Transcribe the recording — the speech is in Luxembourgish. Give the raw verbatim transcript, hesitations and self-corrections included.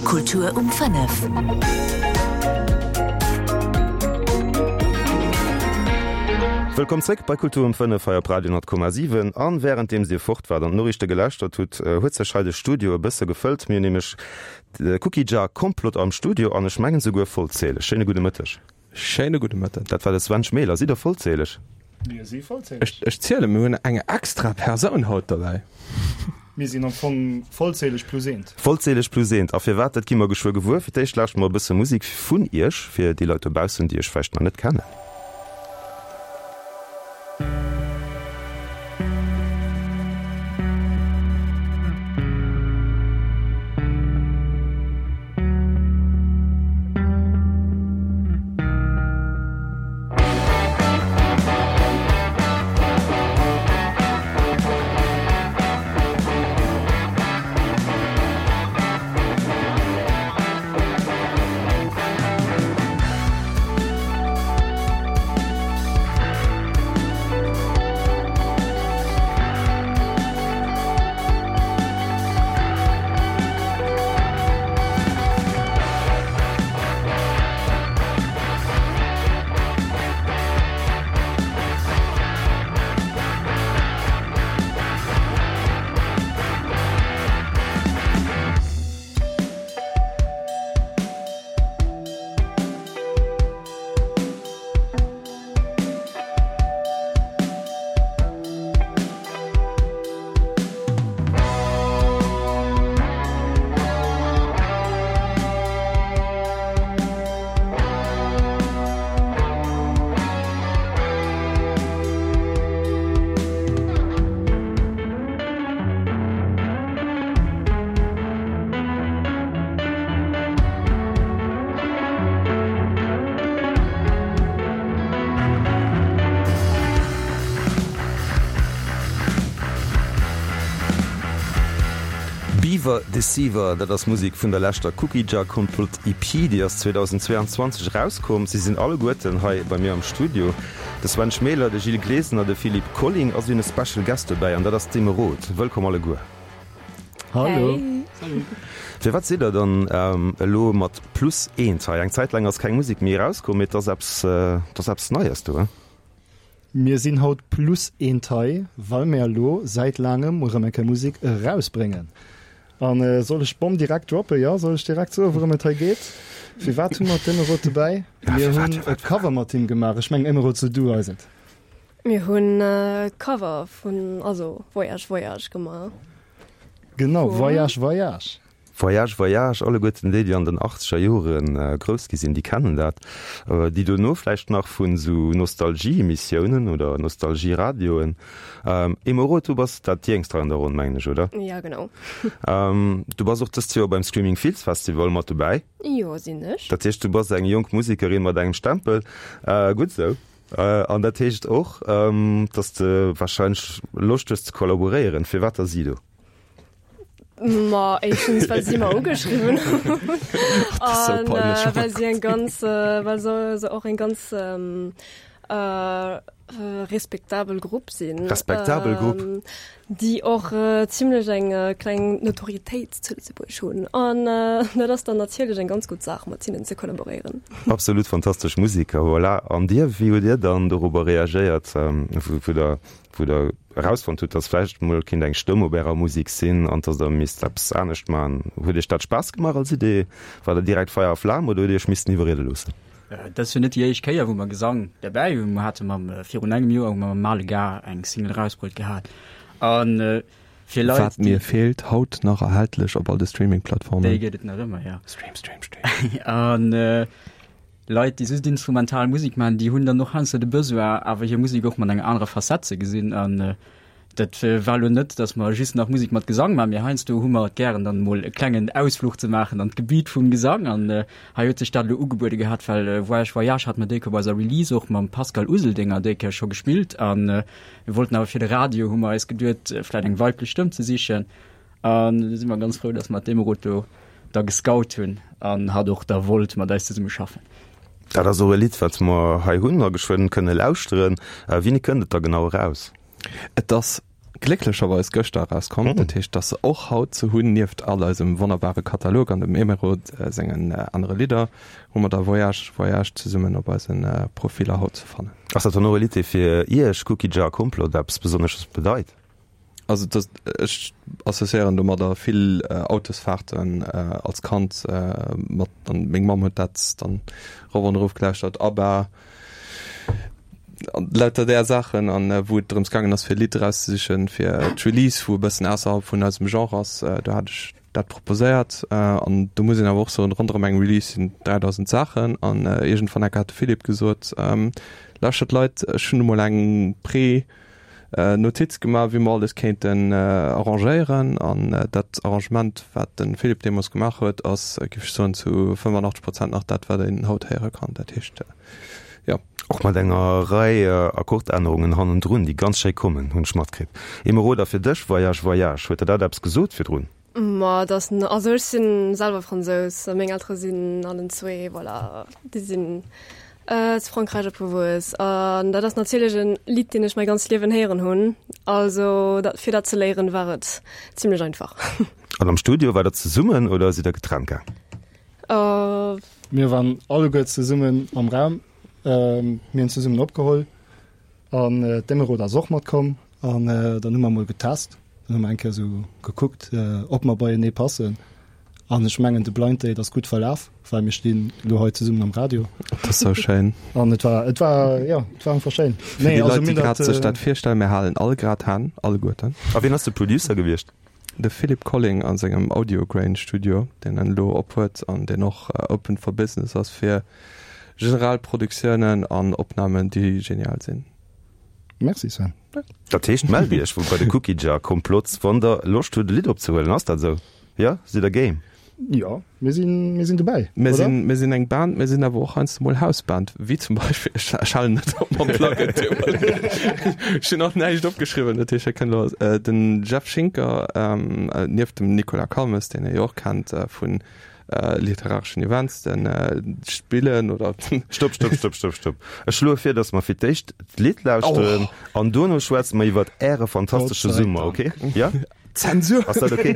Kultur um fënnef. Wëllkomm zréck bei Kultur um fënnef hei op Radio honnert Komma siwen. An wärenddeems Dir fort waart an d'Noriichte gelauschtert hutt, huet sech hei de Studio e bësse gefëllt. Mir hunn nämlech de Cookie Jar Komplott am Studio an ech mengen souguer vollzähleg. Schéine gudde Mëtteg. Schéine gudde Mëtten. Dat war de Sven Schmeler. Sidd Der vollzähleg? Mir si vollzähleg. Ech, ech zielen, mir hunn eng extra Persoun haut derbäi. Mir sinn am Fong vollzähleg plus eent. Vollzähleg plus eent. A firwat, dat gi mer geschwë gewuer. Fir d'éischt lauschteren mer e bësse Musek vun Iech, fir déi Leit dobaussen, déi Iech vläicht nach net kennen. Beaver Deceiver, dat ass Musek vun der leschter Cookie Jar Komplott E P, déi ass zweedausendzweeanzwanzeg erauskomm. Si sinn alleguerten hei bei mir am Studio, de Sven Schmeler, de Gilles Glesener, de Philippe Colling a si hunn e Special Guest dobäi an dat ass d'Emeraude. Wëllkomm alleguer. Hallo. Hey. Firwat sidd der dann elo mat plus eent hei? Eng Zäit laang ass keng Musek méi erauskomm, mee et ass eppes, et ass eppes Neies do, he? Mir sinn haut plus eent hei, well mir elo säit laangem erëm eng Kéier Musek erausbréngen. An soll ech d'Bomm direkt droppen? Jo, soll ech direkt soen, wourëm et hei geet? Firwat hu mer d'Emeraude dobäi? Mir hunn e Cover mat him gemaach. Ech mengen, Emeraude, so du eis et. Mir hunn e Cover vun, also Voyage Voyage gemaach. Genau, Voyage Voyage. Voyage Voyage, alleguerten déi, déi an den achtzeger Jore grouss gi sinn, déi kennen dat. Déi dono vläicht nach vun esou Nostalgie-Emissiounen oder Nostalgie-Radioen. Emeraude, du bass dat Jéngst hei an der Ronn, mengen ech, oder? Ja, genau. Du bass och dëst Joer beim Screaming Fields Festival mat dobäi. Jo, sinn ech. Dat heescht, du bass eng jonk Musekerin mat engem Stempel. Gutt esou. An dat heescht och, dass de warscheinlech Loscht hues ze kollaboréieren. Firwat da si do? Ma éischtens, well si mer ugeschriwwen hunn. An well si eng ganz, well se se och eng ganz respektabel Grupp sinn. Respektabel Grupp? Déi och zimlech eng kleng Notorietéit zu Lëtzebuerg hunn. An dat ass dann natierlech eng ganz gutt Saach, mat hinnen ze kollaboréieren. Absolut fantastesch Museker, voilà. An Dir, wéi hutt Dir dann dorobber reagéiert, wou Der wou der erausfonnt hutt, dass vläicht mol kinnt eng Stëmm op ärer Musek sinn an dass der misst eppes anescht maachen. Huet iech dat Spaass gemaach als Idee? War der direkt Feier a Flam oder hutt dir iech missten iwwerriede loossen? Dat ass jo net déi éischt Kéier, wou mer Gesang derbäi hunn. Mer hate mam, virun engem Joer hu mer mam Male Gars eng Single erausbruet gehat. A fir Leit, Wat mir feelt, haut nach erhältlech op all de Streaming-Plattformen. Déi gëtt et nach ëmmer, jo. Stream, stream, stream. An Leit, déi just instrumental Musek maachen, déi hunn dann och heiansdo de Besoin, awer hir Musek och mat enger anerer Facette ze gesinn. An dat war elo net, datt mer just nach Musek mat Gesang maachen, mee heiansdo hu mer et gären, dann emol e klengen Ausfluch ze maachen an d'Gebiet vum Gesang. An hei huet sech dat elo ugebuede gehat, well Voyage Voyage hat mer déi Kéier bei eiser Release och mam Pascal Useldinger déi Kéier scho gespillt. A mir wollten awer fir de Radio, hu mer eis geduet, vläicht eng weiblech Stëmm ze sichen. An do si mer ganz frou, datt mer d'Emeraude do da gescout hunn an hatt och da wollt mat eis zesumme schaffen. Dat ass och e Lidd, wat mer hei hunn a geschwënn kënne lauschteren. Wéini kënnt et da genau eraus? Et ass glécklecherweis gëschter erauskomm. Mm. Dat heescht, dass se och haut ze hunn, nieft all eisem wonnerbare Katalog an dem Emeraude sengen anere Lidder, hu mer da Voyage, Voyage zesummen op eisen Profiller haut ze fannen. Ass dat dann och e Lidd, dee fir Iech, Cookie Jar Komplott, eppes Besonnesches bedeit? Also dat, ech associéieren domadder vill Autosfahrten als Kand mat, an meng Mamm huet dat dann erof an erof gelauschtert, ABBA, an lauter där Saachen, an wou et drëms gaangen ass fir e Lidd erauszesichen fir d'Release, wou e bëssen ausserhalb vun eisem Genre ass, do hat ech dat proposéiert. An do muss een awer och soen, ronderëm eng Release sinn dräidausend Saachen, an iergendwann enker hat de Philippe gesot, Lauschtert Leit, ech hunn emol eng Pre Notiz gemaach, wéi mer alles kéinten arrangéieren. An dat Arrangement, wat de Philippe deemools gemaach huet, ass, géif ech soen, zu fënnefenachtzeg Prozent nach dat, wat een haut héiere kann. Dat heescht, jo. Och mat enger Rei Akkordännerungen hannendrun, déi ganz schéi kommen, hunn ech matkritt. Emeraude, a fir dech, Voyage, Voyage, huet der dat eppes gesot virdrun? Ma et ass, also ech si selwer Fransous a meng Eltere sinn allen zwee, voilà, déi sinn zu Frankräich opgewuess. An dat ass natierlech e Lidd, deen ech mäi ganzt Liewen héieren hunn. Also dat, fir dat ze léieren, war et zimlech einfach. An am Studio, waart der zesummen oder sidd der getrennt gaang? Mir waren alleguer zesummen am Raum. Mir hunn zesummen opgeholl an d'Emeraude ass och matkomm an dann hu mer emol getest. Dann hu mer eng Kéier esou gekuckt, ob mer beienee passen. An ech mengen, de Blind Date ass gutt verlaf, well mir stinn elo hei zesummen am Radio. Dat ass sou schéin. An et war, et war, jo, et war einfach schéin. Fir déi Leit, déi grad sech dat virstellen, mir halen all grad Hänn, alleguerten. A wien ass de Producer gewiescht? De Philippe Colling a sengem Audio Grain Studio, deen en elo ophuet an deen och open for business ass fir generell Produktiounen an Opnamen, déi genial sinn. Merci Sven. Dat heescht, mellt iech bei de Cookie Jar Komplots, wann der Loscht hutt e Lidd opzehuelen. Ass dat esou? Jo, sidd der game? Jo, mir sinn, mir sinn dobäi, Mir oder? sinn, mir sinn eng Band, mir sinn awer och heiansdo mol Hausband, wéi zum Beispill, ech, ech halen net op mam Pluggen, ech hunn och näischt opgeschriwwen, dat heescht, ech kënnt elo, den Jeff Schinker, nieft dem Nicolas Calmes, deen Dir jo och kennt vun literareschen Events, den spillen oder. Stopp, stopp, stopp, stopp, stopp. Ech schloe vir, dass mer fir d'éischt d'Lidd lauschteren an duerno schwätze mer iwwert Äre fantastesche Summer, okay? Ja? Zensur! Ass dat okay?